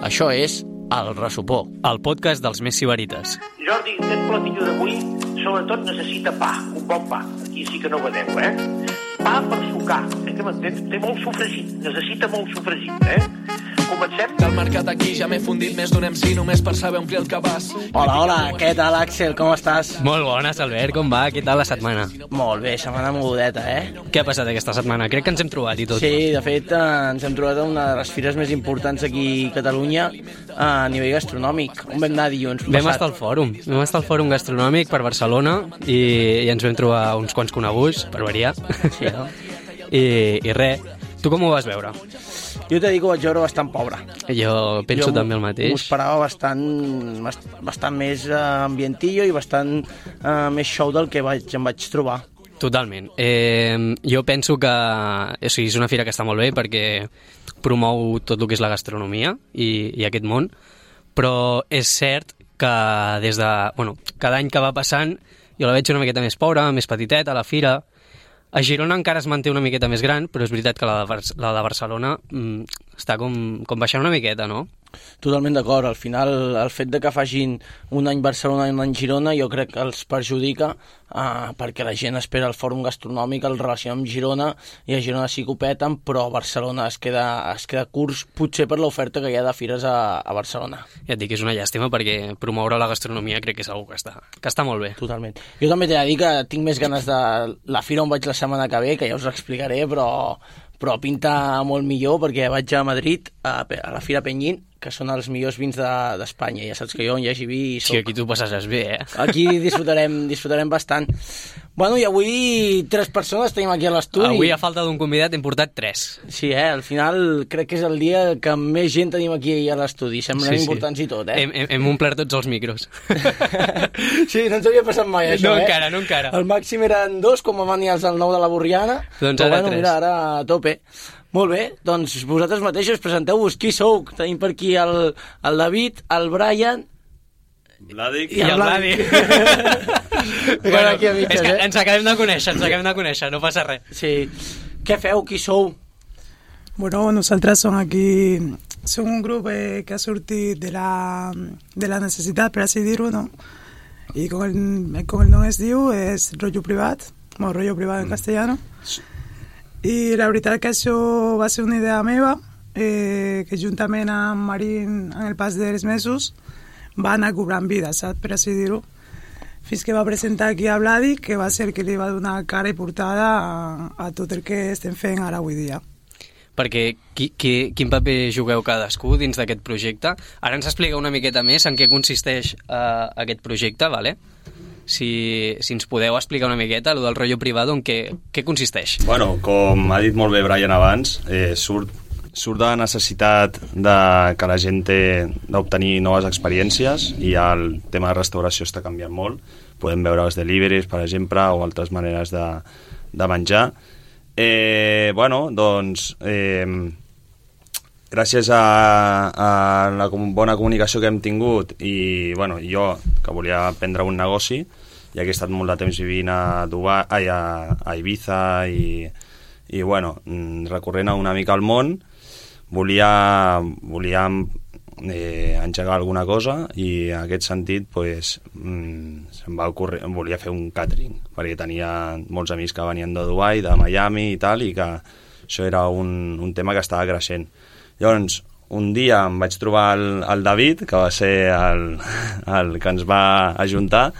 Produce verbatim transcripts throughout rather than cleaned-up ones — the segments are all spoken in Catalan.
Això és El Ressopó, el podcast dels més sibarites. Jordi, aquest platillo d'avui sobretot necessita pa, un bon pa. Aquí sí que no vedeu, eh? Pa per sucar, eh, que m'entens? Té molt sofregit, necessita molt sofregit, eh? Comencem? Del mercat aquí ja m'he fundit més d'un M C només per saber omplir el cabàs. Hola, hola, què tal, Àxel? Com estàs? Molt bones, Albert, com va? Què tal la setmana? Molt bé, setmana mogudeta, eh? Què ha passat aquesta setmana? Crec que ens hem trobat i tot. Sí, de fet, eh, ens hem trobat a una de les fires més importants aquí a Catalunya a nivell gastronòmic. On vam anar dilluns passat? Vam estar al fòrum, vam estar al fòrum gastronòmic per Barcelona i, i ens vam trobar uns quants coneguts, per variar. Sí, no? I, i res, tu com ho vas veure? Jo t'he dit que ho vaig veure bastant pobre. Jo penso jo també el M'ho mateix. esperava bastant, bastant més eh, ambientillo i bastant eh, més show del que vaig, em vaig trobar. Totalment. Eh, jo penso que o sigui, és una fira que està molt bé perquè promou tot el que és la gastronomia i, i aquest món, però és cert que des de... Bueno, cada any que va passant jo la veig una miqueta més pobra, més petiteta, a la fira. A Girona encara es manté una miqueta més gran, però és veritat que la de, Bar la de Barcelona mm, està com, com baixant una miqueta, no? Totalment d'acord. Al final, el fet de que facin un any Barcelona i un any Girona jo crec que els perjudica eh, perquè la gent espera el fòrum gastronòmic, el relaciona amb Girona i a Girona sí que ho peten, però a Barcelona es queda, es queda curs, potser per l'oferta que hi ha de fires a, a Barcelona. Ja et dic que és una llàstima perquè promoure la gastronomia crec que és una que està, que està molt bé. Totalment. Jo també t'he de dir que tinc més ganes de la fira on vaig la setmana que ve, que ja us explicaré, però, però pinta molt millor perquè vaig a Madrid, a, a la Fira Penyín, que són els millors vins d'Espanya. De, ja saps que jo on hi hagi vi soc. Sí, aquí tu passaràs bé, eh? Aquí disfrutarem, disfrutarem bastant. Bueno, i avui tres persones tenim aquí a l'estudi. Avui, a falta d'un convidat, hem portat tres. Sí, eh? Al final crec que és el dia que més gent tenim aquí a l'estudi. Semblen sí, importants sí. i tot, eh? Hem, hem, hem omplert tots els micros. Sí, no ens havia passat mai això, no eh? encara, no encara. El màxim eren dos, com van venir els del nou de la Borriana. Doncs però ara bueno, tres. Mira, ara a tope. Molt bé, doncs vosaltres mateixos presenteu-vos. Qui sou? Tenim per aquí el, el David, el Brian... Vladic i el, el Vladi. Bueno, aquí a mitges, és que eh? ens acabem de conèixer, ens acabem de conèixer, no passa res. Sí. Què feu? Qui sou? Bueno, nosaltres som aquí, som un grup eh, que ha sortit de la, de la necessitat, per així dir-ho, no? I com el, com el nom es diu, és rotllo privat, o rotllo privat en castellano. I la veritat que això va ser una idea meva, eh, que juntament amb Marín, en el pas dels mesos, va anar cobrant vida, saps, per així dir-ho. Fins que va presentar aquí a Vladi, que va ser que li va donar cara i portada a, a tot el que estem fent ara avui dia. Perquè qui, qui, quin paper jugueu cadascú dins d'aquest projecte? Ara ens explica una miqueta més en què consisteix uh, aquest projecte, vale? Si, si ens podeu explicar una miqueta el del rotllo privado, en què, què consisteix? Bueno, com ha dit molt bé Brian abans, eh, surt, surt de la necessitat de que la gent té d'obtenir noves experiències i el tema de restauració està canviant molt. Podem veure els deliveries, per exemple, o altres maneres de, de menjar. Eh, bueno, doncs... Eh, gràcies a, a la bona comunicació que hem tingut i bueno, jo que volia prendre un negoci, ja que he estat molt de temps vivint a, Dubai, ai, a, a Ibiza i, i bueno, recorrent una mica al món, volia, volia eh, engegar alguna cosa i en aquest sentit pues, mm, se'm va ocórrer, volia fer un catering perquè tenia molts amics que venien de Dubai, de Miami i tal, i que això era un, un tema que estava creixent. Llavors, un dia em vaig trobar el, el David, que va ser el, el que ens va ajuntar,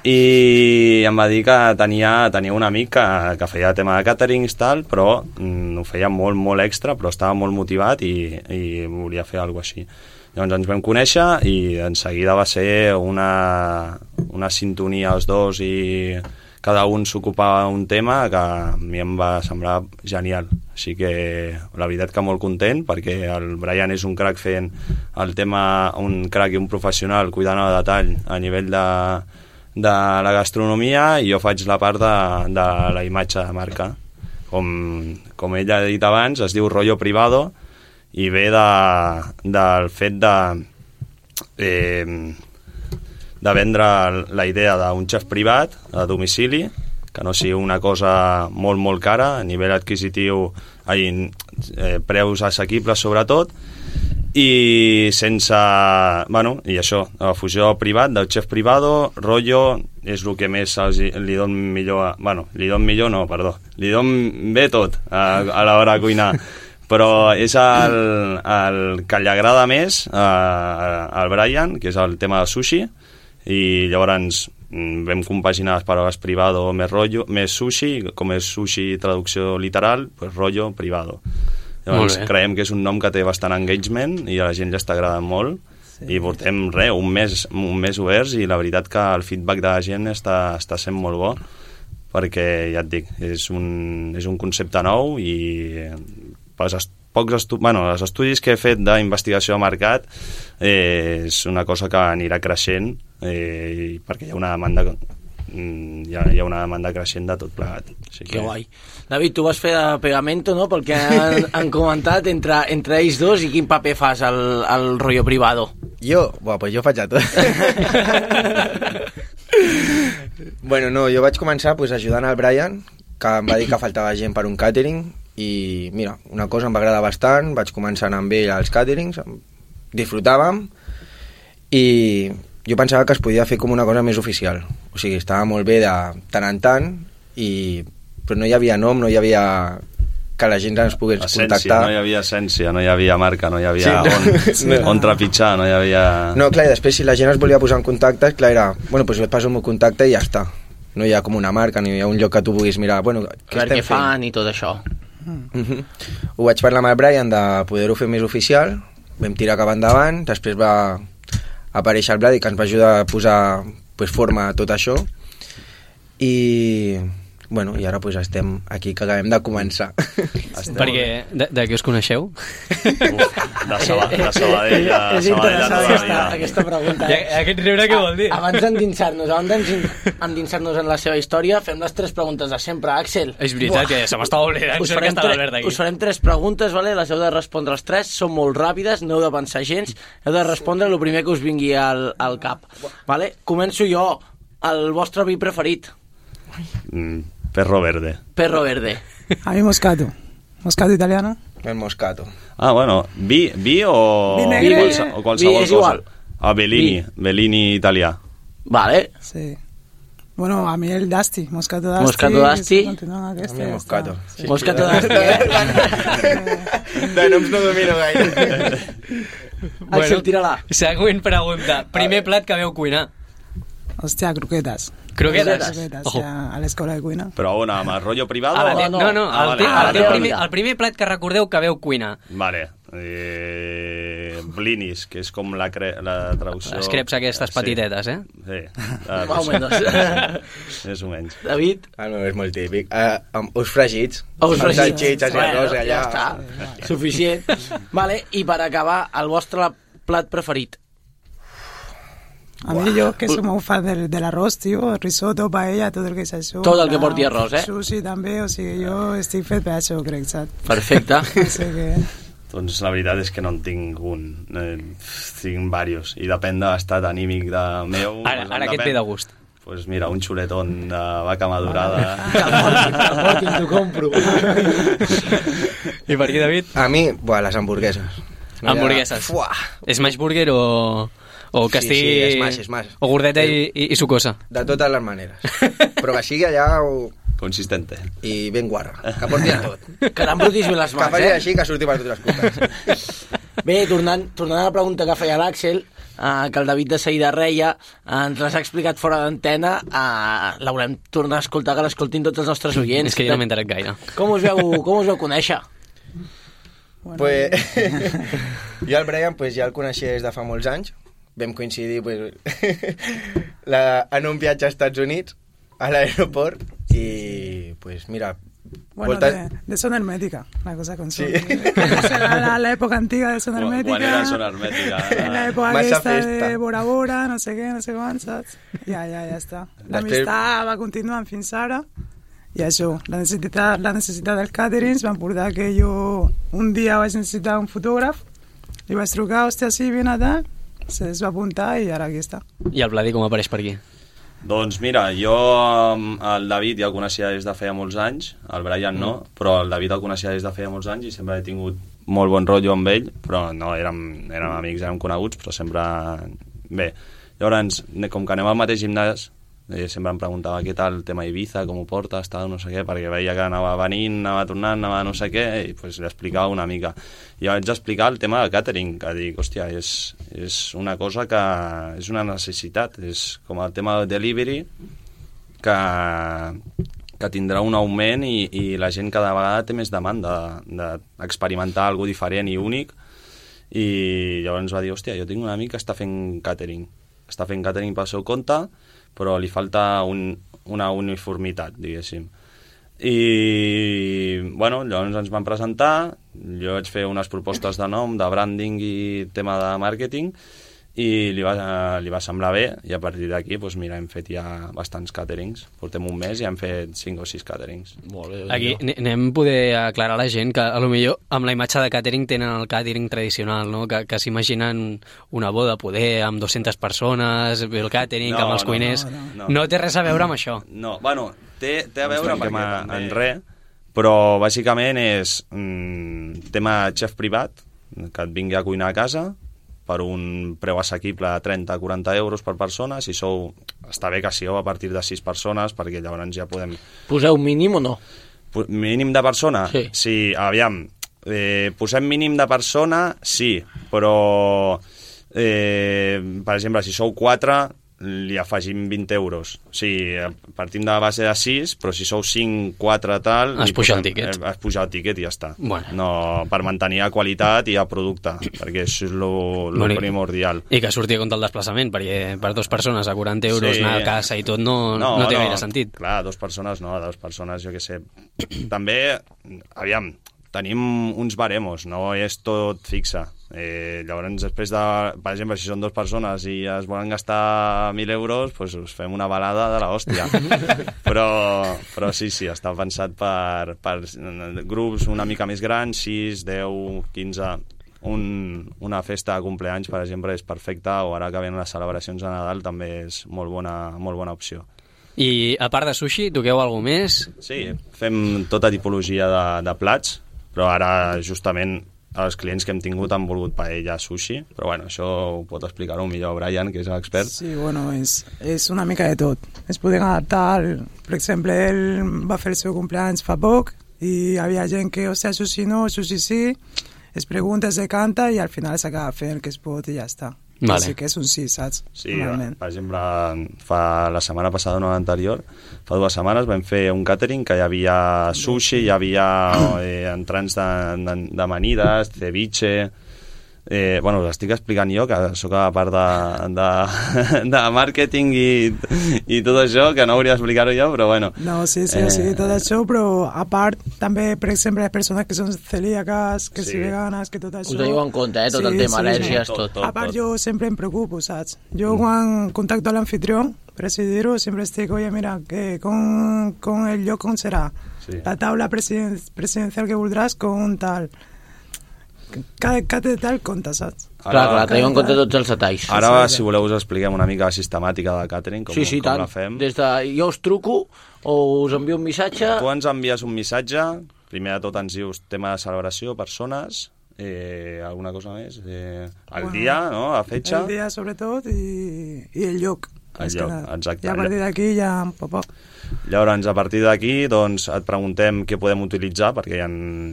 i em va dir que tenia, tenia un amic que, que feia tema de caterings, tal, però mm, ho feia molt, molt extra, però estava molt motivat i, i volia fer alguna cosa així. Llavors ens vam conèixer i en seguida va ser una, una sintonia els dos i cada un s'ocupava un tema que a mi em va semblar genial. Així que la veritat que molt content perquè el Brian és un crac fent el tema, un crac i un professional cuidant el detall a nivell de, de la gastronomia i jo faig la part de, de la imatge de marca. Com, com ella ha dit abans, es diu rotllo privado i ve de, del fet de... Eh, de vendre la idea d'un xef privat a domicili, que no sigui una cosa molt, molt cara, a nivell adquisitiu ai, eh, preus assequibles sobretot, i sense... Bueno, i això, la fusió privat, del xef privado, rotllo, és el que més els, li don millor... A, bueno, li don millor no, perdó, li don bé tot a, a l'hora de cuinar, però és el, el que li agrada més a, al Brian, que és el tema del sushi, i llavors vam compaginar les paraules privado més rotllo, més sushi, com és sushi traducció literal, pues rotllo privado. Llavors creiem que és un nom que té bastant engagement i a la gent li està agradant molt, sí. I portem res, un mes, un mes oberts, i la veritat que el feedback de la gent està, està sent molt bo, perquè ja et dic, és un, és un concepte nou, i pels est pocs estu bueno, els estudis que he fet d'investigació de mercat, eh, és una cosa que anirà creixent, eh, perquè hi ha una demanda hi ha, hi ha una demanda creixent de tot plegat. Així que... Que guai. David, tu vas fer de pegamento, no?, pel que han, han comentat entre, entre ells dos, i quin paper fas al, al rotllo privado? Jo? Buah, pues jo faig a tot. Bueno, no, jo vaig començar pues, ajudant al Brian, que em va dir que faltava gent per un càtering, i mira, una cosa em va agradar bastant, vaig començar amb ell als càterings, disfrutàvem, i jo pensava que es podia fer com una cosa més oficial, o sigui, estava molt bé de tant en tant, i... però no hi havia nom, no hi havia que la gent ens pogués essència, contactar. No hi havia essència, no hi havia marca, no hi havia sí, no, on, sí, no. on trepitjar, no hi havia... No, clar, i després si la gent es volia posar en contacte, clar, era, bueno, doncs jo et passo el meu contacte i ja està. No hi ha com una marca, ni hi ha un lloc que tu puguis mirar, bueno, què estem què fan i tot això. Uh-huh. Ho vaig parlar amb el Brian de poder-ho fer més oficial, vam tirar cap endavant, després va aparèixer el Vladi que ens va ajudar a posar pues, forma a tot això, i bueno, i ara pues, estem aquí que acabem de començar. Estem perquè de, de què us coneixeu? Uf, de Sabadell, de Sabadell, de és interessant aquesta, aquesta pregunta. Eh? Aquest riure què vol dir? Abans d'endinsar-nos endinsar-nos en la seva història, fem les tres preguntes de sempre. Axel. És veritat, Buah. que se m'estava oblidant us farem, que tre us farem tres preguntes, vale? Les heu de respondre les tres, són molt ràpides, no heu de pensar gens, heu de respondre el primer que us vingui al, al cap. Vale? Començo jo. El vostre vi preferit? Mm. Perro verde. Perro verde. A mí moscato. Moscato italiano. El moscato. Ah, bueno. Vi, vi o... Vi negre. O, qualse, o qualsevol vi és igual. cosa. Ah, Bellini. Vi. Bellini italià. Vale. Sí. Bueno, a mi el Dasti. Moscato Dasti. Moscato Dasti. A mi moscato. Sí. Moscato Dasti, eh? De noms no domino gaire. Bueno, Axel, tira-la. Següent pregunta. Primer plat que veu cuinar. Hòstia, croquetes. Croquetes? Croquetes, ja, a l'escola de cuina. Però on, amb el rotllo privado? Ah, o... no, no, no ah, el, vale. ah, el, vale, primer, vale. el primer plat que recordeu que veu cuinar. Vale. Eh, blinis, que és com la, cre la traducció... Les creps aquestes petitetes, eh? Sí. Más o menos. Més o menys. David? Ah, no, és molt típic. Uh, um, us fregits. Us fregits. Salxitxes i arròs allà. Ja està. Suficient. Vale, i per acabar, el vostre plat preferit? A mí yo que soy muy fan del, del arroz, tío, risotto, paella, todo el que es eso. Todo el que porti arroz, eh? Sushi també, o sigui, jo estic fet per això, crec, saps? Perfecte. Así que... Doncs la veritat és que no en tinc un, eh, tinc diversos, i depèn de l'estat anímic de meu. Ara, ara què et ve de gust? Pues mira, un xuletón de vaca madurada. Que portin, t'ho compro. I per aquí, David? A mi, buah, les hamburgueses. No hamburgueses. Fuà. Smash burger o... O que sí, estigui... Sí, smash, smash. O gordeta i, i, i sucosa. De totes les maneres. Però que sigui allà... O... Consistente. I ben guarra. Que porti a tot. Que n'embrutis bé les mans, que faci eh? així, que surti per totes les copes. Bé, tornant, tornant a la pregunta que feia l'Àxel, eh, que el David de seguida reia, eh, ens l'has explicat fora d'antena, eh, l'haurem tornar a escoltar, que l'escoltin tots els nostres oients. És que jo no m'he enterat gaire. Com us veu, com us veu conèixer? Bueno. Pues, jo el Brian pues, ja el coneixia des de fa molts anys. Vam coincidir pues, la, en un viatge als Estats Units, a l'aeroport, i pues mira... Bueno, volta... de, de zona hermética, la cosa con sí. la, la época antigua de zona hermética. Quan era zona hermètica? En la època aquesta de Bora Bora, no sé què, no sé quants, saps? Ja, ja, ja està. L'amistat va continuar fins ara, i això, la necessitat, la necessitat del catering van portar que jo un dia vaig necessitar un fotògraf, li vaig trucar, hòstia, sí, vine allà, se es va apuntar i ara aquí està. I el Vladi com apareix per aquí? Doncs mira, jo el David ja el coneixia des de feia molts anys, el Brian no, mm. però el David el coneixia des de feia molts anys i sempre he tingut molt bon rotllo amb ell, però no, érem, érem amics, érem coneguts, però sempre... Bé, llavors, com que anem al mateix gimnàs, eh, sempre em preguntava què tal el tema Ibiza, com ho porta, estava no sé què, perquè veia que anava venint, anava tornant, anava no sé què, i pues, li explicava una mica. I vaig explicar el tema del catering, que dic, hòstia, és, és una cosa que és una necessitat, és com el tema del delivery, que, que tindrà un augment i, i la gent cada vegada té més demanda d'experimentar alguna diferent i únic, i llavors va dir, hòstia, jo tinc un amic que està fent catering, està fent catering pel seu compte, però li falta un, una uniformitat, diguéssim. I, bueno, llavors ens van presentar, jo vaig fer unes propostes de nom, de branding i tema de màrqueting, i li va, li va semblar bé, i a partir d'aquí, doncs mira, hem fet ja bastants caterings. Portem un mes i hem fet cinc o sis caterings. Molt bé. Aquí anem a poder aclarar a la gent que a lo millor amb la imatge de catering tenen el catering tradicional, no? Que, que s'imaginen una boda, poder, amb dues-centes persones, el catering, no, amb els cuiners... No, no, no. no té res a veure amb això. No, bueno, té, té a veure no perquè en, en res, però bàsicament és mm, tema xef privat, que et vingui a cuinar a casa, per un preu assequible de trenta a quaranta euros per persona. Si sou, està bé que sigueu a partir de sis persones, perquè llavors ja podem... Poseu mínim o no? Mínim de persona? Sí. Sí, aviam, eh, posem mínim de persona, sí, però, eh, per exemple, si sou quatre, li afegim vint euros. O sigui, partim de la base de sis, però si sou cinc, quatre, tal... Es puja el tíquet. Es puja el tíquet i ja està. Bueno. No, per mantenir la qualitat i el producte, perquè això és lo, lo bueno, primordial. I que surti a compte el desplaçament, perquè per dues persones a quaranta euros sí. anar a casa i tot no, no, no té no, gaire sentit. Clar, dues persones no, dues persones, jo què sé. També, aviam, tenim uns baremos, no és tot fixe. Eh, llavors després de, per exemple, si són dues persones i es volen gastar mil euros, doncs us fem una balada de l'hòstia. però, però sí, sí, està pensat per, per grups una mica més grans, sis, deu, quinze. Un, una festa de compleanys, per exemple, és perfecta, o ara que venen les celebracions de Nadal també és molt bona, molt bona opció. I a part de sushi, toqueu alguna més? Sí, fem tota tipologia de, de plats, però ara justament els clients que hem tingut han volgut paella, sushi, però bueno, això ho pot explicar-ho millor Brian, que és l'expert. Sí, bueno, és, és una mica de tot. Es poden adaptar, per exemple, ell va fer el seu cumpleaños fa poc i hi havia gent que, o sigui, sushi no, sushi sí, es pregunta, es decanta i al final s'acaba fent el que es pot i ja està. Vale. Sí que és un sí, saps? Sí, per exemple, fa la setmana passada, no l'anterior, fa dues setmanes vam fer un catering que hi havia sushi, hi havia eh, entrants de, de, d'amanides, ceviche... Eh, bueno, us estic explicant jo, que sóc a la part de, de, de màrqueting i, i tot això, que no hauria d'explicar-ho jo, però bueno. No, sí, sí, eh... sí, tot això, però a part, també, per exemple, les persones que són celíaques, que sí. són veganes, que tot això... Us teniu en compte, eh, tot sí, el tema, sí, al·lèrgies, tot, tot. A part, jo sempre em preocupo, saps? Jo mm. quan contacto a l'anfitrió, per així dir-ho, sempre estic, oye, mira, que con, con el lloc com serà? Sí. La taula presiden, presidencial que voldràs con tal... Cada, cada detall compta, saps? Ara, clar, clar, teniu en compte tots els detalls. Ara, sí, si voleu, us expliquem una mica la sistemàtica del catering, com, sí, sí, com tant. la fem. Des de jo us truco o us envio un missatge... Tu ens envies un missatge, primer de tot ens dius tema de celebració, persones, eh, alguna cosa més, eh, el bueno, dia, no?, la fetge... El dia, sobretot, i, i el lloc. El lloc, exacte. I a partir d'aquí ja... Pop, pop. Llavors, a partir d'aquí, doncs, et preguntem què podem utilitzar, perquè hi ha,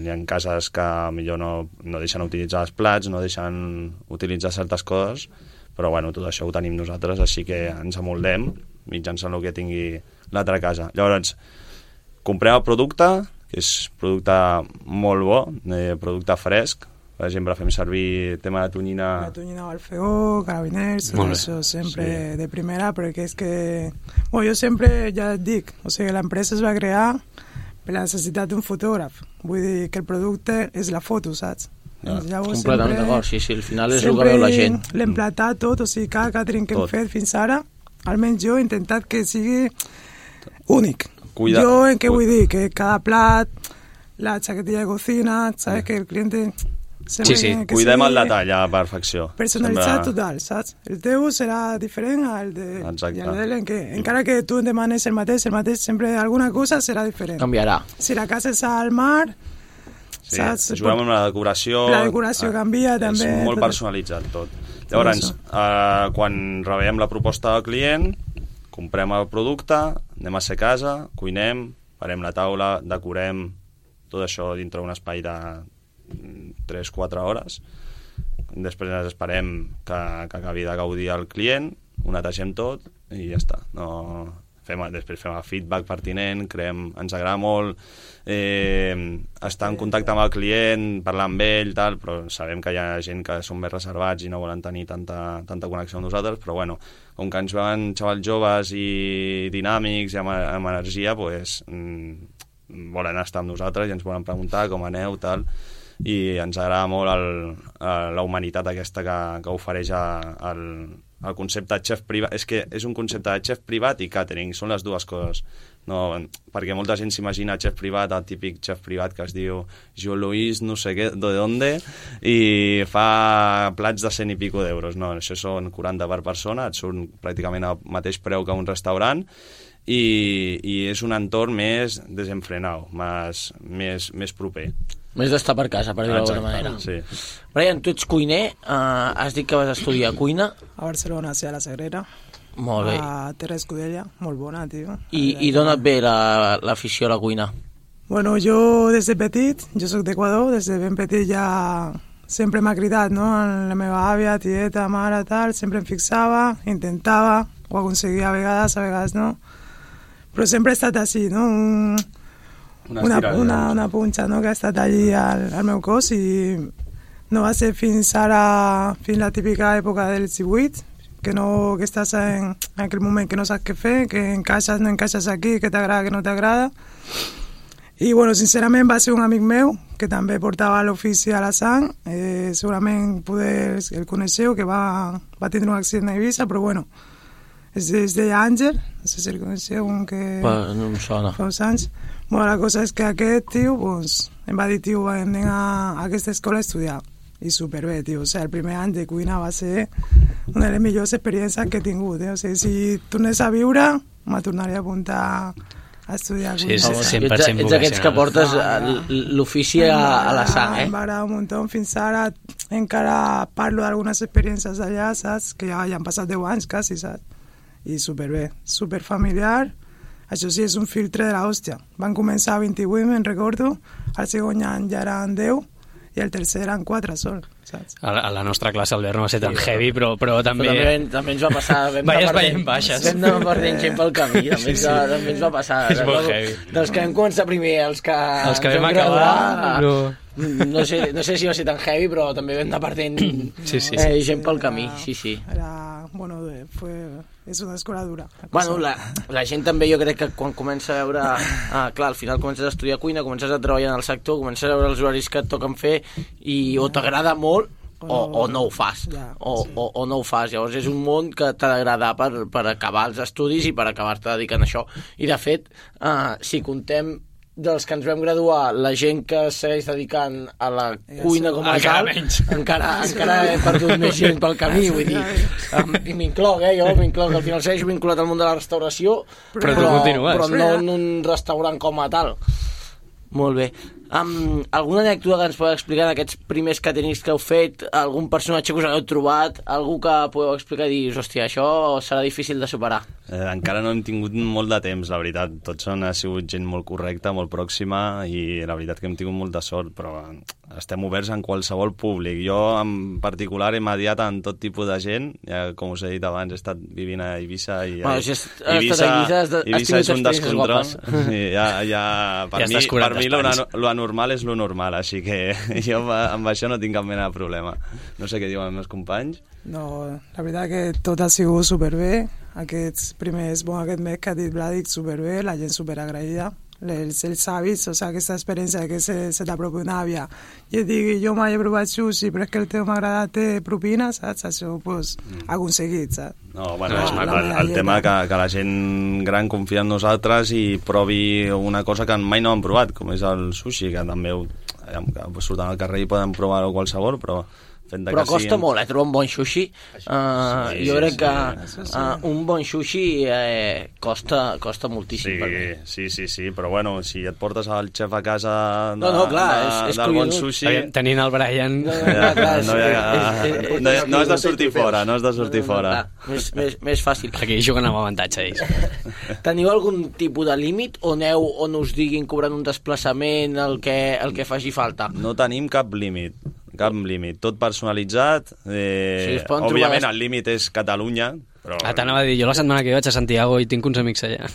hi ha cases que millor no, no deixen utilitzar els plats, no deixen utilitzar certes coses, però bueno, tot això ho tenim nosaltres, així que ens amoldem mitjançant el que tingui l'altra casa. Llavors, comprem el producte, que és producte molt bo, eh, producte fresc. Per exemple, fem servir tema de tonyina... La tonyina Alfeó, carabiners, tot això sempre sí. de primera, perquè és que... Bueno, jo sempre ja et dic, o sigui, l'empresa es va crear per la necessitat d'un fotògraf. Vull dir que el producte és la foto, saps? Ja, completament d'acord, sí, sí, al final és el que veu la gent. L'hem platat tot, o sigui, cada catering que tot. hem fet fins ara, almenys jo he intentat que sigui únic. Cuida. Jo en què vull dir? Que cada plat, la xaquetilla de cocina, saps? Que el cliente... Sí, sí. Cuidem el detall a perfecció. Personalitzat Sempre... total, saps? El teu serà diferent al de... Exacte. I el de l'en que, encara que tu em demanes el mateix, el mateix, sempre alguna cosa serà diferent. Canviarà. Si la casa és al mar, sí, saps? Juguem amb la decoració... La decoració canvia, és també. És molt tot. personalitzat, tot. Llavors, eh, quan rebem la proposta del client, comprem el producte, anem a ser casa, cuinem, parem la taula, decorem, tot això dintre d'un espai de tres quatre hores. Després ens esperem que, que acabi de gaudir el client, ho netegem tot i ja està. No, fem, després fem el feedback pertinent, creem, ens agrada molt eh, estar en contacte amb el client, parlar amb ell, tal, però sabem que hi ha gent que són més reservats i no volen tenir tanta, tanta connexió amb nosaltres, però bueno, com que ens veuen xavals joves i dinàmics i amb, amb energia, pues, mm, volen estar amb nosaltres i ens volen preguntar com aneu, tal, i ens agrada molt el, la humanitat aquesta que, que ofereix el, el concepte de xef privat. És que és un concepte de xef privat i catering, són les dues coses. No, perquè molta gent s'imagina xef privat, el típic xef privat que es diu Jo Luis no sé què, de donde, i fa plats de cent i pico d'euros. No, això són quaranta per persona, et surt pràcticament al mateix preu que un restaurant, i, i és un entorn més desenfrenat, més, més, més proper. Més d'estar per casa, per dir-ho d'alguna manera. Sí. Brian, tu ets cuiner, uh, has dit que vas estudiar cuina. A Barcelona, sí, a la Sagrera. Molt bé. A Terra Escudella, molt bona, tio. I, i d'on et ve l'afició la, a la cuina? Bueno, jo des de petit, jo soc d'Equador, des de ben petit ja sempre m'ha cridat, no? La meva àvia, tieta, mare, tal, sempre em fixava, intentava, ho aconseguia a vegades, a vegades no. Però sempre he estat així, no? Un... Una, una, una, una punxa, no?, que ha estat allí al, al meu cos, i no va ser fins ara, fins la típica època dels divuit, que, no, que estàs en, en aquell moment que no saps què fer, que encaixes, no encaixes aquí, que t'agrada, que no t'agrada. I, bueno, sincerament va ser un amic meu, que també portava l'ofici a la sang, eh, segurament poder el coneixeu, que va, va tindre un accident a Eivissa, però, bueno, es, es deia Àngel, no sé si el coneixeu, un que... Pa, no em sona. Fa uns anys. Bueno, la cosa és que aquest tio pues, em va dir, tio, anem a, a aquesta escola a estudiar. I superbé, tio. O sigui, el primer any de cuina va ser una de les millors experiències que he tingut. Eh? O sigui, si tornés a viure, me tornaria a apuntar a estudiar cuina. Sí, és cent per cent ets aquests que portes l'ofici a, a la sang, eh? Em va agradar un munt. Fins ara encara parlo d'algunes experiències allà, saps? Que ja, ja han passat deu anys, quasi, saps? I superbé. Superfamiliar. Això sí, és un filtre de l'hòstia. Van començar a vint-i-vuit, me'n recordo, el segon any ja eren deu, i el tercer eren quatre sol, saps? A la, a la nostra classe Albert no va ser tan heavy, però, però també... Però també, també ens va passar... Veies veient baixes. Vam anar perdent gent pel camí, també, sí, sí. també ens va passar. És molt heavy. Dels que vam començar primer, els que... Els que vam acabar... No... No sé, no sé si va ser tan heavy, però també vam anar perdent sí, sí, sí. Eh, gent pel camí, sí, sí. Era, bueno, fue, és una escola dura. Bueno, la, la gent també, jo crec que quan comença a veure... Ah, clar, al final comences a estudiar cuina, comences a treballar en el sector, comences a veure els horaris que et toquen fer i o t'agrada molt o, o no ho fas, ja, o, sí. o, o no ho fas. Llavors és un món que t'ha d'agradar per, per acabar els estudis i per acabar-te dedicant a això. I de fet, uh, si contem dels que ens vam graduar, la gent que segueix dedicant a la cuina com a tal, encara, encara he perdut més gent pel camí, vull dir, um, i m'incloc, eh, jo m'incloc, al final segueixo vinculat al món de la restauració, però, però, però, però no en un restaurant com a tal. Molt bé. Um, alguna anècdota que ens podeu explicar d'aquests primers caterings que heu fet? Algun personatge que us heu trobat? Algú que podeu explicar i dir, hòstia, això serà difícil de superar? Eh, encara no hem tingut molt de temps, la veritat. Tots han sigut gent molt correcta, molt pròxima, i la veritat que hem tingut molta sort, però estem oberts en qualsevol públic. Jo, en particular, he mediat en tot tipus de gent. Ja, com us he dit abans, he estat vivint a Eivissa, i bueno, si has, Eivissa, Eivissa, has, has Eivissa és un descontrol. I ja, ja, per ja mi, per mi lo, lo anormal és lo normal, així que jo amb això no tinc cap mena de problema. No sé què diuen els meus companys. No, la veritat que tot ha sigut superbé. Aquests primers, bon, aquest mes que ha dit Vladic, superbé, la gent superagraïda. Els, els avis, o sigui, aquesta experiència que se, se t'apropi una àvia i et digui, jo mai he provat sushi, però és que el teu m'agrada, té propina, saps? Això, pues, mm. aconseguit, saps? No, bueno, no, el, el, el tema que, que la gent gran confia en nosaltres i provi una cosa que mai no han provat, com és el sushi, que també surten al carrer i poden provar qualsevol, però fent de Però que costa siguin... molt, eh, trobar un bon sushi. Uh, Sí, jo crec sí, que sí. uh, un bon sushi eh, costa, costa moltíssim. Sí, per mi. sí, sí, sí, però bueno, si et portes el xef a casa de, No, no, clar, de, és- és del bon collonut. sushi... Aviam, tenint el Brian... No, Ja, no, clar, no, hi ha, és- és- és- no, no has de sortir fora, no has de sortir No, no, fora. clar, més, més, més fàcil. Aquí juguen amb avantatge ells. Teniu algun tipus de límit o aneu on us diguin cobrant un desplaçament, el que, el que faci falta? No tenim cap límit, cap límit, tot personalitzat. Eh, Sí, es poden òbviament trobar- el límit és Catalunya, però... Ah, t'anava a dir, jo la setmana que ve vaig a Santiago i tinc uns amics allà.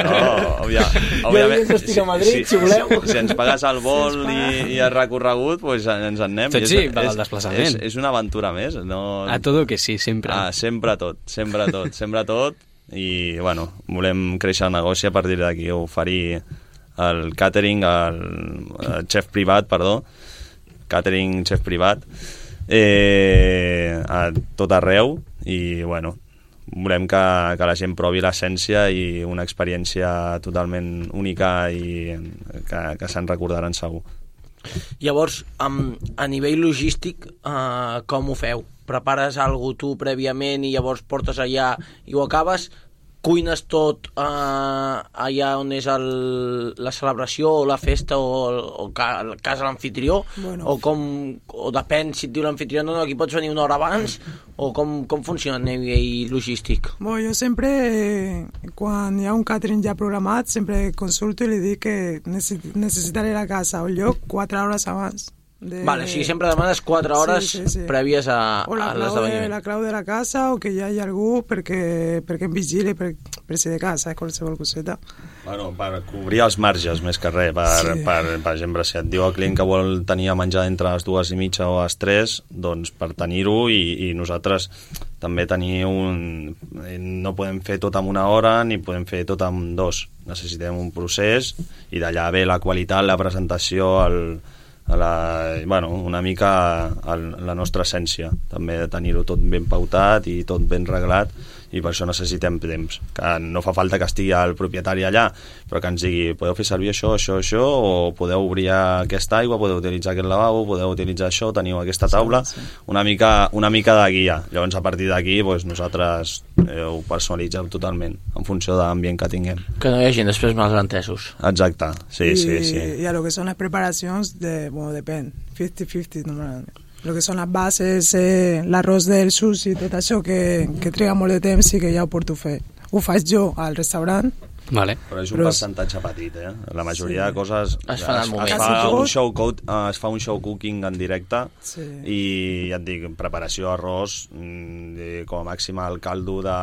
No, òbvia, òbviament, Jo estic a Madrid, si voleu. Si, si ens pagues el vol i, i el recorregut, pues ens en anem. Tot I és- sí, val el és- desplaçament. És, és una aventura més. No... A tot que sí, sempre. Ah, sempre tot, sempre tot, sempre tot. I, bueno, volem créixer el negoci a partir d'aquí, oferir el catering, el, el xef privat, perdó, catering, xef privat, eh, a tot arreu i, bueno, volem que, que la gent provi l'essència i una experiència totalment única i que, que se'n recordaran segur. Llavors, um, a nivell logístic, uh, com ho feu? Prepares alguna tu prèviament i llavors portes allà i ho acabes? Cuines tot uh, allà on és el, la celebració o la festa o, o ca, casa l'anfitrió? Bueno. O com, o depèn si et diu l'anfitrió, no, no, aquí pots venir una hora abans, o com, com funciona a nivell logístic? Bueno, jo sempre, eh, quan hi ha un catering ja programat, sempre consulto i li dic que necessi- necessitaré la casa o el lloc quatre hores abans. De... Vale, o sigui, sempre demanes quatre hores Sí, sí, sí. prèvies a, o la a clau, de, l'esdeveniment. la clau de la casa o que hi hagi algú perquè, perquè em vigili per, per si de casa, eh, qualsevol coseta. Bueno, per cobrir els marges més que res, per, Sí. per, per exemple, si et diu el client que vol tenir a menjar entre les dues i mitja o les tres, doncs per tenir-ho i, i nosaltres també tenir un... no podem fer tot en una hora ni podem fer tot en dos. Necessitem un procés i d'allà ve la qualitat, la presentació, el, a la, bueno, una mica a la nostra essència, també de tenir-ho tot ben pautat i tot ben reglat, i per això necessitem temps, que no fa falta que estigui el propietari allà, però que ens digui, podeu fer servir això, això, això, o podeu obrir aquesta aigua, podeu utilitzar aquest lavabo, podeu utilitzar això, teniu aquesta taula, una mica, una mica de guia. Llavors a partir d'aquí doncs, nosaltres eh, ho personalitzem totalment en funció de l'ambient que tinguem. Que no hi hagi després malentesos. Exacte, sí, y, sí, sí. y a lo que son las preparaciones, de, bueno, depende, cincuenta cincuenta normalmente. Lo que són les bases, eh, l'arròs del sushi, tot això que, que triga molt de temps i que ja ho porto fer. Ho faig jo al restaurant. Vale. Però és un Però- percentatge petit, eh? La majoria Sí. de coses Es fan al moment. es, Quasi fa tot. un show coat, uh, es fa un show cooking en directe Sí. i ja et dic, preparació arròs, mm, i com a màxim el caldo de,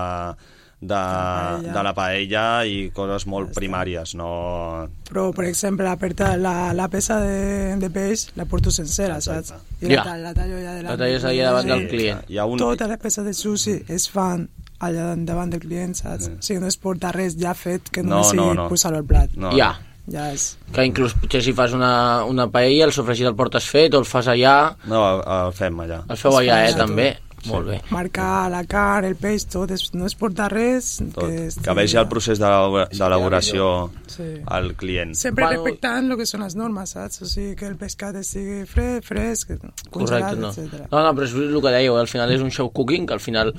de, paella. de la paella i coses molt primàries, no... Però, per exemple, la, perta, la, la peça de, de peix la porto sencera, Exacte. saps? I Ja. la, la tallo allà davant. La talles allà davant del client. Hi ha un... Totes les peces de sushi es fan allà davant del client, saps? Sí. O sigui, no es porta res ja fet que No, només no, sigui no. posar-ho al plat. No, Ja. Ja és... Que inclús potser si fas una, una paella, el sofregit el portes fet o el fas allà, no, el fem allà. el feu allà, eh, allà, també. Molt bé. Marcar la carn, el peix, tot, es, no es porta res. Tot. Que, Que vegi el procés d'elabora- d'elaboració Sí. al client. Sempre Bueno, respectant el que són les normes, saps? O sigui, que el pescat estigui fred, fresc, Correcte, congelat, no. etcètera. No, no, però és el que dèieu, eh? Al final és un show cooking, que al final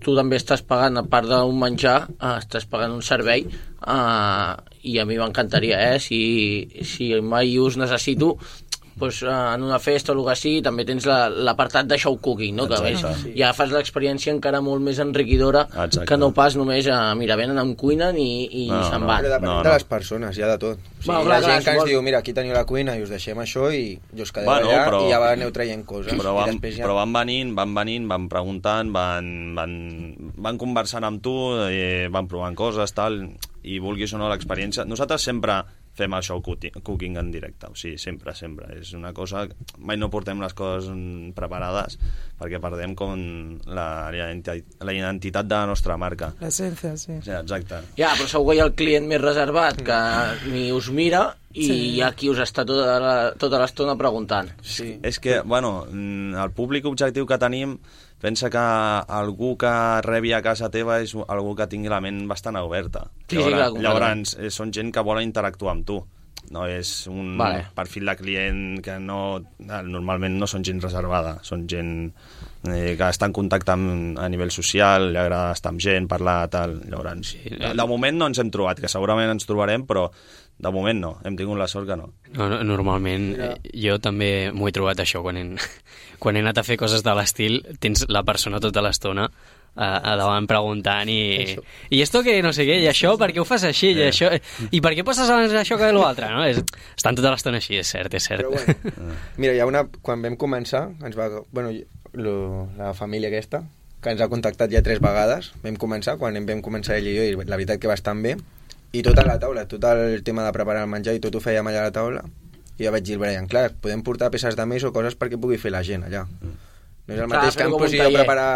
tu també estàs pagant, a part d'un menjar, eh, estàs pagant un servei, eh, i a mi m'encantaria, eh? Si, si mai us necessito, pues, eh, en una festa o el que sigui, també tens la- l'apartat de show cooking, no? Que a més, Exacte. ja fas l'experiència encara molt més enriquidora Exacte. que no pas només a, mira, venen, em cuinen i, i No, se'n no. van. Però depenent No, de no. les persones, hi ha de tot. O sigui, Bueno, hi clar, ha clar, gent que ens suposo- diu, mira, aquí teniu la cuina i us deixem això i jo us quedeu Bueno, allà però- i ja va- aneu traient coses. Però I van, després ja... però van venint, van venint, van preguntant, van, van, van conversant amb tu, eh, van provant coses, tal, i vulguis o no l'experiència. Nosaltres sempre fem el show cooking cooking en directe, o sigui, sempre, sempre. És una cosa... Mai no portem les coses mm, preparades perquè perdem com la, la identi- la identitat de la nostra marca. L'essència, sí. Sí, exacte. Ja, però segur que hi ha el client més reservat que ni us mira i Sí. hi ha qui us està tota la- tota l'estona preguntant. Sí. És que, bueno, mm, el públic objectiu que tenim pensa que algú que rebi a casa teva és algú que tingui la ment bastant oberta. Sí, sí, clar, llavors, llavors eh, són gent que vol interactuar amb tu. no és un Vale. perfil de client que no, normalment no són gent reservada, són gent eh, que està en contacte amb, a nivell social, li agrada estar amb gent, parlar, tal. Llavors, sí, de, de moment no ens hem trobat, que segurament ens trobarem, però de moment no, hem tingut la sort que no. No, no normalment Mira. jo també m'ho he trobat això, quan he, quan he anat a fer coses de l'estil, tens la persona tota l'estona a, a davant preguntant i, i esto que no sé què, i això, per què ho fas així, i, això, i per què poses abans això que l'altre, no? És, estan tota l'estona així, és cert, és cert. Però bueno, mira, hi ha una... Quan vam començar, ens va... Bueno, lo, la família aquesta, que ens ha contactat ja tres vegades, vam començar, quan vam començar ell i jo, i la veritat que va estar bé, i tot a la taula, tot el tema de preparar el menjar i tot ho fèiem allà a la taula, i ja vaig dir al Brian, clar, podem portar peces de més o coses perquè pugui fer la gent allà. No és el mateix clar, que em posi a preparar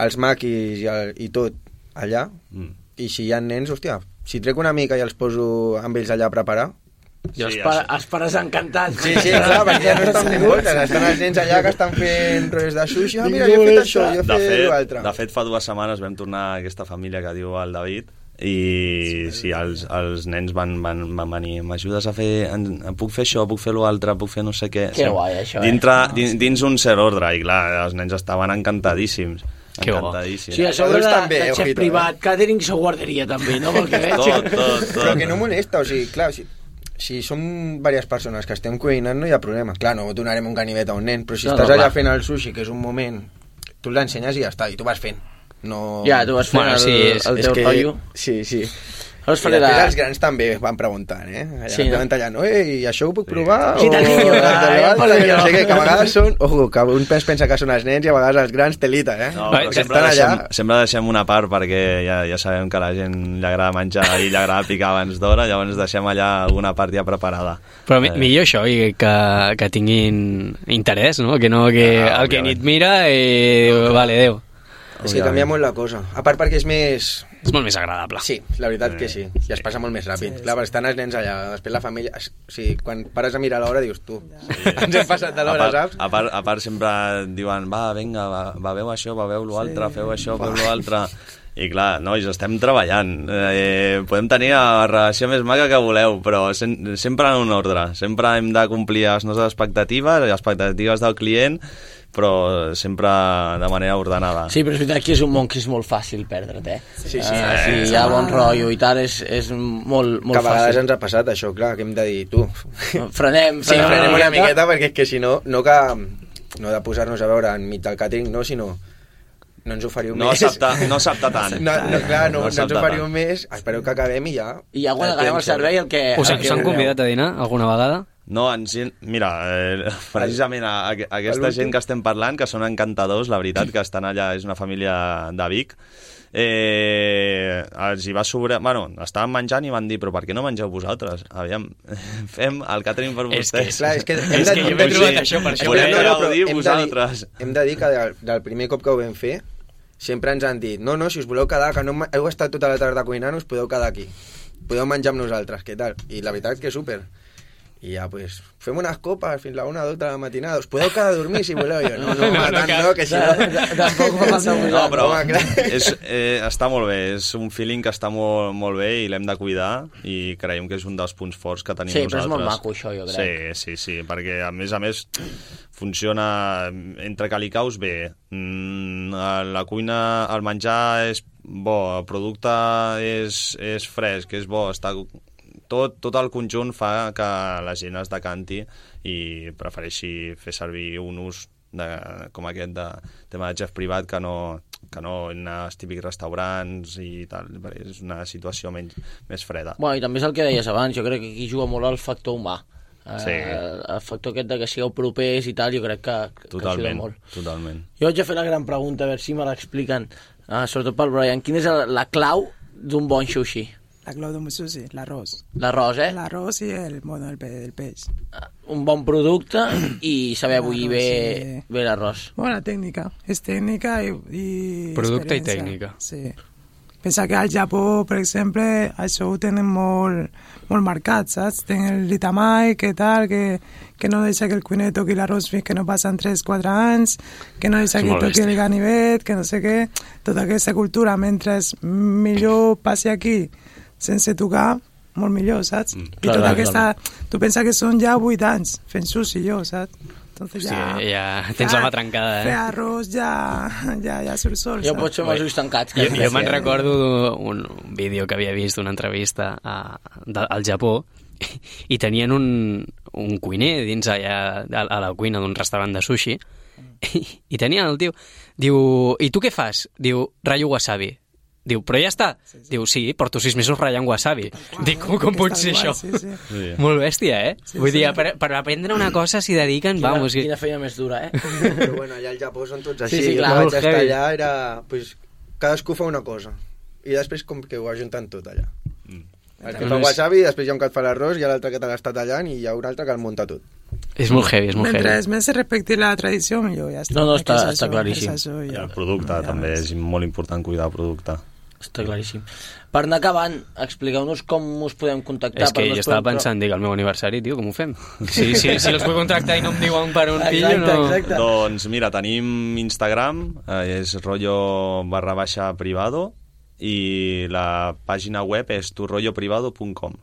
els maquis i, el, i tot allà, mm. i si hi ha nens, hòstia, si trec una mica i els poso amb ells allà a preparar... I els, sí, pa els pares encantats. Sí, sí, clar, perquè ja no estan fent moltes, estan els nens allà que estan fent rodes de sushi, ah, mira, jo he fet això, jo he fet l'altre. De fet, fa dues setmanes vam tornar a aquesta família que diu el David, i sí, els, els nens van, van, van venir, m'ajudes a fer, en, puc fer això, puc fer l'altre, puc fer no sé què. Que guai, això, dintre, eh? dins, dins un cert ordre, i clar, els nens estaven encantadíssims. Que encantadíssims. Sí, a sobre de, també, de xef privat, eh? Catering, s'ho guardaria també, no? Pel que veig. Tot, tot, tot. Però que no molesta, o sigui, clar, si, si som diverses persones que estem cuinant no hi ha problema. Clar, no donarem un ganivet a un nen, però si no, estàs no, allà fent el sushi, que és un moment, tu l'ensenyes i ja està, i tu vas fent. No... Ja, tu vas fent bueno, el, sí, és, el teu rotllo. Sí, sí. I després la... els grans també van preguntant, eh? Allà, sí, no? allà, no? Eh, i això ho puc provar? Sí, o... del niño, ja, no sé què, que a vegades són... Ojo, que un pensa que són els nens i a vegades els grans telita, eh? No, però sempre deixem, allà... sempre deixem una part perquè ja, ja sabem que a la gent li agrada menjar i li agrada picar abans d'hora, llavors deixem allà alguna part ja preparada. Però eh... millor això, i que, que tinguin interès, no? Que no que ah, el que ni et mira i... No, vale, adéu. És que canvia molt la cosa. A part perquè és més... És molt més agradable. Sí, la veritat que sí. I es passa molt més ràpid. Sí, Clar, sí. Estan els nens allà, després la família... O sigui, quan pares a mirar l'hora dius tu, sí. ens hem passat de l'hora, saps? A part, a part sempre diuen, va, vinga, va, va veu això, va veu l'altre, sí. feu això, feu l'altre... I clar, nois, estem treballant. Eh, podem tenir la relació més maca que voleu, però sen sempre en un ordre. Sempre hem de complir les nostres expectatives, les expectatives del client, però sempre de manera ordenada. Sí, però és veritat que és un món que és molt fàcil perdre't, eh? Sí, sí. Uh, si hi ha bon rotllo i tal, és, és molt, molt fàcil. Que a vegades ens ha passat això, clar, que hem de dir, tu... Frenem, frenem, sí, frenem una miqueta, perquè és que si no, no que... No de posar-nos a veure enmig del catering, no, sinó... No ens oferiu no més. Accepta, no s'apta tant. No, no, clar, no, no, no ens oferiu tant. Més. Espereu que acabem i ja... I ja quan acabem el servei el que... Us han convidat a dinar alguna vegada? No, ens, mira, eh, precisament a, a, a aquesta gent que estem parlant, que són encantadors, la veritat, que estan allà, és una família de Vic, eh, els hi va sobre... Bueno, estaven menjant i van dir, però per què no mengeu vosaltres? Aviam, fem el catering per vostès. És que, clar, és que, hem és de, que jo m'he trobat això, per això. Volem no, no, gaudir vosaltres. Hem de dir que del, del primer cop que ho vam fer, sempre ens han dit, no, no, si us voleu quedar, que no heu estat tota la tarda cuinant, us podeu quedar aquí. Podeu menjar amb nosaltres, què tal? I la veritat que súper. I ja, pues, fem unes copes fins la una o dues de la matinada. Us podeu quedar a dormir si voleu. Jo, no, no, no, tant no, que si no... Tampoc m'ha passat molt. No, però és, eh, està molt bé. És un feeling que està molt, molt bé i l'hem de cuidar i creiem que és un dels punts forts que tenim sí, nosaltres. Sí, però és molt maco això, jo crec. Sí, sí, sí, perquè a més a més funciona entre calicaus bé. Mm, la cuina, el menjar és bo, el producte és, és fresc, és bo, està... Tot, tot el conjunt fa que la gent es decanti i prefereixi fer servir un ús de, com aquest de tema de xef privat que no, que no anar als típics restaurants i tal, perquè és una situació menys, més freda. Bueno, i també és el que deies abans, jo crec que aquí juga molt el factor humà. Sí. Uh, el factor aquest de que sigueu propers i tal, jo crec que, que totalment, ajuda molt. Totalment. Jo haig de fer la gran pregunta, a veure si me l'expliquen, uh, sobretot pel Brian. Quina és la, la clau d'un bon sushi? La clau d'un sushi, l'arròs. L'arròs, eh? L'arròs i el, bueno, el, pe el peix. Un bon producte i saber bullir bé, sí. bé l'arròs. Bona tècnica. És tècnica i, i producte i tècnica. Sí. Pensa que al Japó, per exemple, això ho tenen molt, molt marcat, saps? Tenen el ritamai, que tal, que, que no deixa que el cuiner toqui l'arròs fins que no passen tres quatre anys, que no deixa que toqui el ganivet, que no sé què. Tota aquesta cultura, mentre millor passi aquí sense tocar, molt millor, saps? Mm, I clar, tota clar, aquesta... Tu pensa que són ja vuit anys fent sushi, jo, saps? Entonces Hòstia, ja... ja tens la mà trencada, eh? Fer arròs ja, ja, ja surt sol, Jo saps? pots fer amb els ulls tancats. Jo, jo me'n recordo un, un vídeo que havia vist d'una entrevista a, de, al Japó i tenien un, un cuiner dins allà a, a la cuina d'un restaurant de sushi i, i tenien el tio, diu, i tu què fas? Diu, ratllo wasabi. Diu, però ja està. Sí, sí. Diu, sí, porto sis mesos ratllant wasabi. Qual, Dic, com, com pot ser això? Sí, sí. Sí. Molt bèstia, eh? Sí, Vull sí. dir, per, per aprendre una cosa s'hi dediquen, quina, vamos... Quina feina més dura, eh? Però bueno, allà al Japó són tots així. Sí, sí, clar, jo vaig estar heavy. allà, era... Pues, cadascú fa una cosa. I després com que ho ajunten tot allà. Mm. El que fa wasabi, després hi ha un que et fa l'arròs, hi ha l'altre que te l'està tallant i hi ha un altre que el munta tot. És molt heavy, és molt Mentre heavy. més se respecti la tradició, millor ja està. No, no, està, És està això, claríssim. és això, I ja. el producte Ja també ves. és molt important cuidar el producte. Està claríssim. Per anar acabant, expliqueu-nos com us podem contactar. És que per jo no estava podem- pensant, dic, el meu aniversari, tio, com ho fem? Si, si, si els vull contractar i no em diuen per on pillo, Exacte, no... exacte. Doncs mira, tenim Instagram, eh, és rollo barra baixa privado, i la pàgina web és turrolloprivado punt com.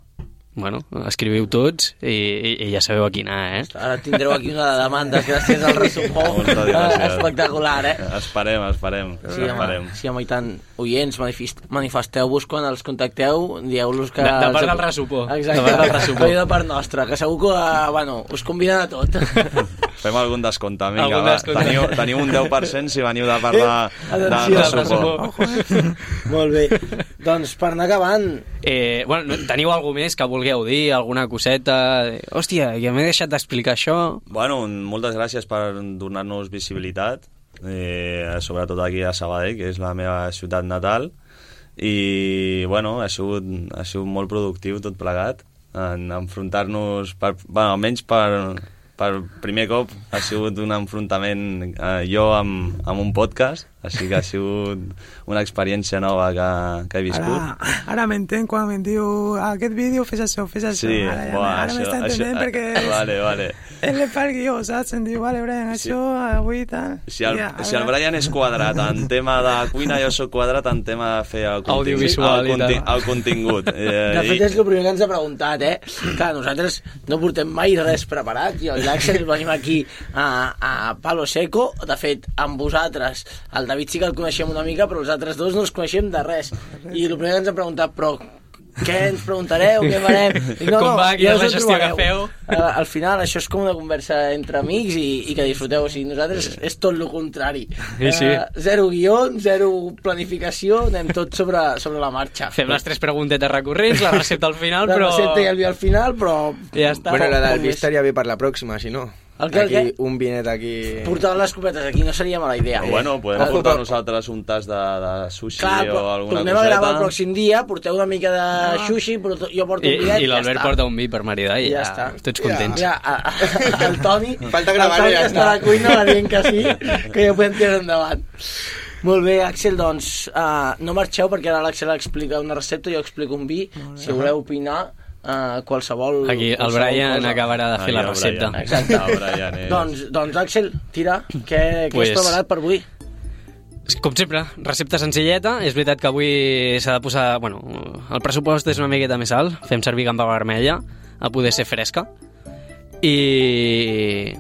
Bueno, escriviu tots i, i, i ja sabeu a quin anar, eh? Ara tindreu aquí una de demandes gràcies al resumó. Moltes gràcies. Espectacular, eh? Esperem, esperem. Sí, esperem. home, sí, home, i tant. Oients, manifest, manifesteu-vos quan els contacteu, dieu-los que... De, de part els- del resupó. Exacte, De part del resupó. de part nostra, que segur que, bueno, us conviden a tot. Fem algun descompte, vinga, Algun va. descompte. Teniu, teniu un deu per cent si veniu de part de, de, Atenció, de suport. resumó. Molt bé. Doncs per anar acabant... Eh, bueno, no- teniu alguna més que vulgueu dir, alguna coseta? Hòstia, ja m'he deixat d'explicar això. Bueno, moltes gràcies per donar-nos visibilitat, eh, sobretot aquí a Sabadell, que és la meva ciutat natal, i bueno, ha sigut, ha sigut molt productiu tot plegat, en enfrontar-nos, per, bueno, almenys per, per primer cop ha sigut un enfrontament eh, jo amb, amb un podcast, així que ha sigut una experiència nova que, que he viscut. Ara, ara m'entenc quan em diu aquest vídeo fes això, fes això. Sí, ara ja, buah, ara això- m'està entenent això- perquè Vale, vale. ell le fa el guió, saps? Em diu, vale, Brian, Sí. això avui tal. Si el, Ja, si el ara- Brian és quadrat en tema de cuina, jo sóc quadrat en tema de fer el contingut. Audiovisual el, i tal. el contingut. Eh, De fet, és el primer que ens ha preguntat, eh? Clar, nosaltres no portem mai res preparat. Jo i l'Àxel venim aquí a, a Palo Seco. De fet, amb vosaltres, el David sí que el coneixem una mica, però els altres dos no els coneixem de res. I el primer que ens ha preguntat, però què ens preguntareu, què farem? Dic, Com va, quina és us la ho gestió que trobareu. feu? Al, al final, això és com una conversa entre amics i, i que disfruteu. O sigui, nosaltres és tot el contrari. Sí, sí. Eh, zero guió, zero planificació, anem tot sobre, sobre la marxa. Fem les tres preguntetes recurrents, la recepta al final, La però... recepta i el vi al final, però... Ja està. Bueno, la Poc del vi més. estaria bé per la pròxima, si no. El què, el Aquí, què? un vinet aquí... Portar les copetes aquí no seria mala idea. Però bueno, podem Ojo, portar però- nosaltres un tas de, de sushi Clar, o però alguna tornem a gravar el coseta. pròxim dia, porteu una mica de sushi, però jo porto I, un bidet i l'Albert ja està. porta un vi per maridar i Ja ja, està. tots contents. Mira, a, a, el Toni... Falta gravar-ho, el Toni ja està a està. la cuina va dient que sí, que ja ho podem tirar endavant. Molt bé, Àxel, doncs uh, no marxeu perquè ara l'Àxel explica una recepta, jo explico un vi. Si voleu opinar, uh, qualsevol... Aquí el qualsevol Brian cosa. acabarà de fer Aquí la el recepta. Brian. Exacte. El Brian és... Doncs, doncs Àxel, tira, què, què Pues- has preparat per avui? Com sempre, recepta senzilleta. És veritat que avui s'ha de posar... Bueno, el pressupost és una miqueta més alt. Fem servir gamba vermella, a poder ser fresca. I...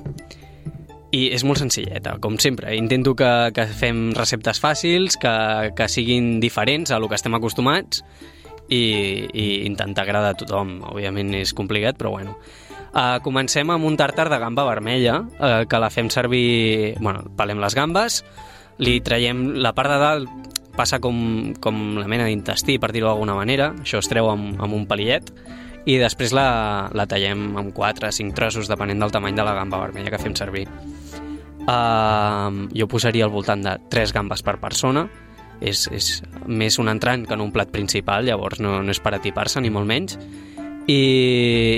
I és molt senzilleta, com sempre. Intento que, que fem receptes fàcils, que, que siguin diferents a lo que estem acostumats i, i intentar agradar a tothom. Òbviament és complicat, però bueno. Uh, comencem amb un tàrtar de gamba vermella, uh, que la fem servir... Bueno, pelem les gambes, li traiem la part de dalt, passa com, com la mena d'intestí, per dir-ho d'alguna manera, això es treu amb, amb un palillet, i després la, la tallem amb quatre o cinc trossos, depenent del tamany de la gamba vermella que fem servir. Uh, jo posaria al voltant de tres gambes per persona, és, és més un entrant que en un plat principal, llavors no, no és per atipar-se ni molt menys, i,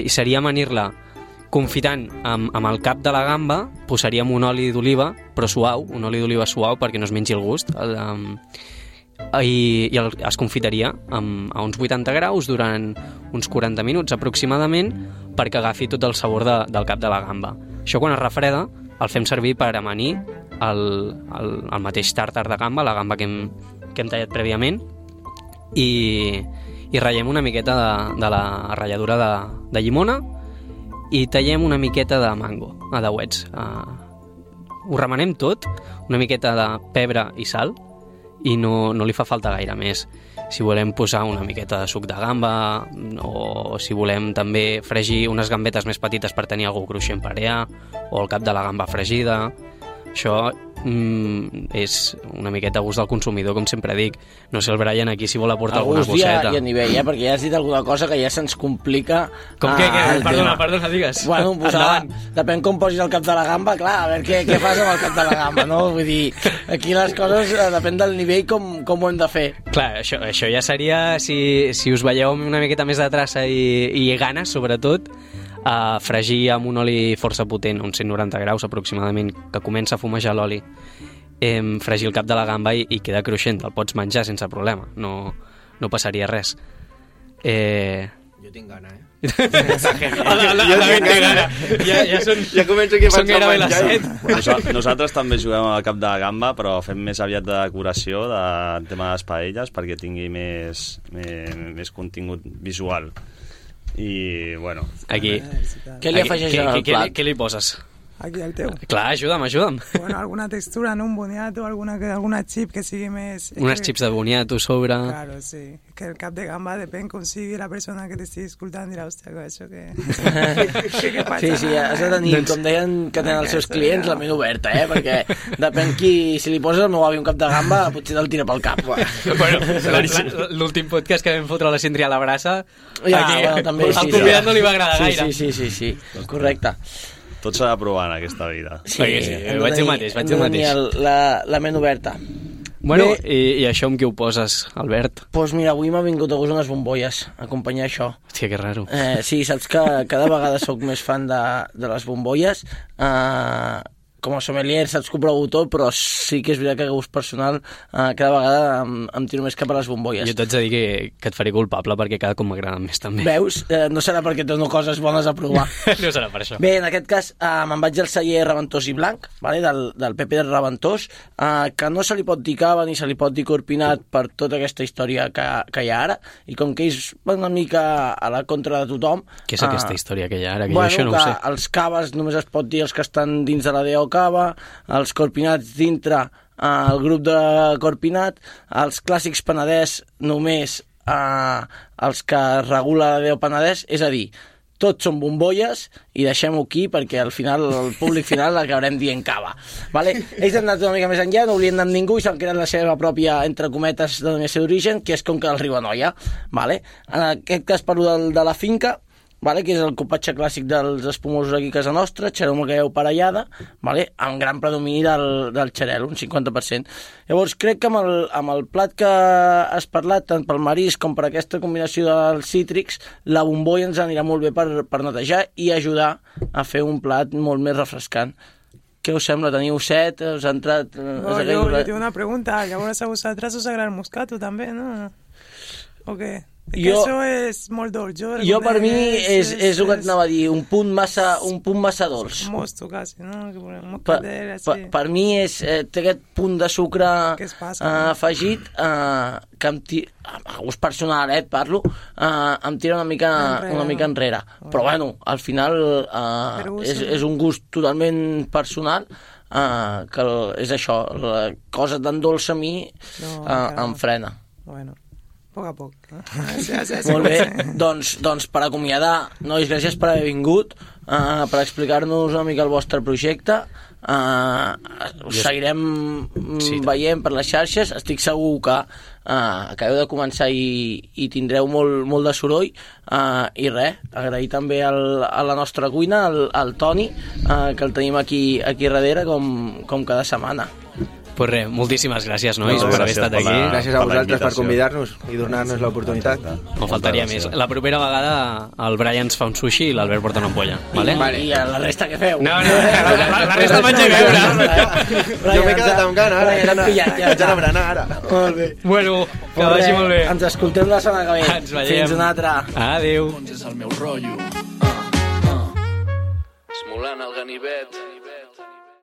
i seria amanir-la confitant amb, amb el cap de la gamba, posaríem un oli d'oliva, però suau, un oli d'oliva suau perquè no es mengi el gust, el, um, i, i el, es confitaria amb, a uns vuitanta graus durant uns quaranta minuts aproximadament perquè agafi tot el sabor de, del cap de la gamba. Això quan es refreda el fem servir per amanir el, el, el mateix tàrtar de gamba, la gamba que hem, que hem tallat prèviament, i, i ratllem una miqueta de, de la ratlladura de, de llimona i tallem una miqueta de mango, a dauets. Uh, ho remenem tot, una miqueta de pebre i sal, i no, no li fa falta gaire més. Si volem posar una miqueta de suc de gamba, o si volem també fregir unes gambetes més petites per tenir algú cruixent per allà, o el cap de la gamba fregida, això mm, és una miqueta a gust del consumidor, com sempre dic. No sé el Brian aquí si vol aportar a alguna coseta. I a nivell, eh? Perquè ja has dit alguna cosa que ja se'ns complica. Com que? que perdona, perdona, digues. Bueno, posar, depèn com posis el cap de la gamba, clar, a veure què, què fas amb el cap de la gamba, no? Vull dir, aquí les coses eh, depèn del nivell com, com ho hem de fer. Clar, això, això ja seria, si, si us veieu amb una miqueta més de traça i, i ganes, sobretot, a fregir amb un oli força potent, uns cent noranta graus aproximadament, que comença a fumejar l'oli, eh, fregir el cap de la gamba i, i queda cruixent, el pots menjar sense problema, no, no passaria res. Eh... Jo tinc gana, eh? Jo tinc gana. Ja, ja, són, ja començo aquí a són gairebé les set. Nosaltres, nosaltres també juguem al cap de gamba, però fem més aviat de decoració, de tema de les paelles, perquè tingui més, més, més contingut visual. I, bueno... Aquí. Què li afegeix al què, plat? Què, què li poses? Aquí al teu. Clar, ajuda'm, ajuda'm. Bueno, alguna textura, ¿no? Un boniato, alguna, alguna chip que sigui més... Unes que... chips de boniato sobre... Claro, sí. Que el cap de gamba depèn com sigui la persona que t'estigui escoltant, dirà, hòstia, això que... que, que passa? Sí, sí, has de tenir, Doncs- com deien que tenen els seus clients, la ment oberta, eh? Perquè depèn qui... Si li poses el meu avi un cap de gamba, potser te'l tira pel cap. Bueno, la- la- l'últim podcast que vam fotre a la Cindria a la brassa, Ja, aquí, bueno, també, al sí, convidat sí. no li va agradar Sí, gaire. sí, sí, sí, sí, correcte. Tot s'ha de provar en aquesta vida. Sí, Perquè sí, hem de vaig dir tenir- mateix, vaig hem dir de mateix. tenir el- La, la ment oberta. Bueno, Bé. i, i això amb què ho poses, Albert? Doncs pues mira, avui m'ha vingut a gust unes bombolles, acompanyar això. Hòstia, que raro. Eh, sí, saps que cada vegada sóc més fan de, de les bombolles. Eh, com a sommelier saps que ho provo tot, però sí que és veritat que a gust personal eh, cada vegada em, em tiro més cap a les bombolles. Jo t'haig de dir que, que et faré culpable perquè cada cop m'agraden més també. Veus? Eh, no serà perquè dono coses bones a provar. No serà per això. Bé, en aquest cas eh, me'n vaig al celler Raventós i Blanc, vale? del, del Pepe de Raventós, eh, que no se li pot dir cava ni se li pot dir corpinat per tota aquesta història que, que hi ha ara, i com que ells van una mica a la contra de tothom... Què és aquesta història que hi ha ara? Que bueno, jo això no que ho sé. els caves només es pot dir els que estan dins de la D O Cava, els corpinats dintre eh, el grup de corpinat, els clàssics Penedès només eh, els que regula la D O Penedès, és a dir, tots són bombolles i deixem-ho aquí perquè al final el públic final acabarem dient cava. Vale? Ells han anat una mica més enllà, no volien anar amb ningú i s'han creat la seva pròpia, entre cometes, denominació d'origen, que és Conca del Riu Anoia. Vale? En aquest cas parlo del, de la finca, vale? Que és el copatge clàssic dels espumosos aquí a casa nostra, xaroma que heu parellada, vale? Amb gran predomini del, del xarel, un cinquanta per cent. Llavors crec que amb el, amb el plat que has parlat, tant pel marisc com per aquesta combinació dels cítrics, la bombolla ens anirà molt bé per, per netejar i ajudar a fer un plat molt més refrescant. Què us sembla? Teniu set? Us ha entrat... No, jo, jo tinc una pregunta. Llavors a vosaltres us agrada el moscato també, no? O què? Que Jo- això és molt dolç. Jo, Jo per mi és, és el que et és anava a dir, un punt massa, un punt massa dolç. mosto, quasi, no? Que un Per, moscatel, per, així. per mi és, eh, té aquest punt de sucre Què es passa, eh, no? afegit eh, que em ti... a gust personal, eh, et parlo, eh, em tira una mica Enrere, una mica no? enrere. Però bueno, al final eh, Per gust, és, no? és un gust totalment personal, eh, que el, és això, la cosa tan dolça a mi No, eh, encara em no. frena. Bueno, poc a poc. No? Sí, sí, sí, Molt bé, sí. doncs, doncs per acomiadar, nois, gràcies per haver vingut, uh, per explicar-nos una mica el vostre projecte. Uh, us seguirem mm, Sí, veient per les xarxes. Estic segur que uh, acabeu de començar i, i tindreu molt, molt de soroll. Uh, I res, agrair també al, a la nostra cuina, al, al Toni, uh, que el tenim aquí, aquí darrere, com, com cada setmana. Pues res, moltíssimes gràcies, nois, No, per haver gràcies estat per aquí. la- Gràcies a per la vosaltres per invitació. convidar-nos i donar-nos l'oportunitat. No faltaria més. La propera vegada el Brian ens fa un sushi i l'Albert porta una ampolla, vale? I, i a la resta què feu? No, no, la, la, la resta menja i beure. Jo m'he quedat amb gana, ara. Brian, Ja pillat, ja haig d'anar està. a berenar, ara. Molt bé. Bueno, que Molt vagi bé, molt bé. Ens escoltem la setmana que ve. Ens veiem. Fins una altra. Adéu. Doncs és el meu rotllo. Uh, uh. Esmolant el ganivet.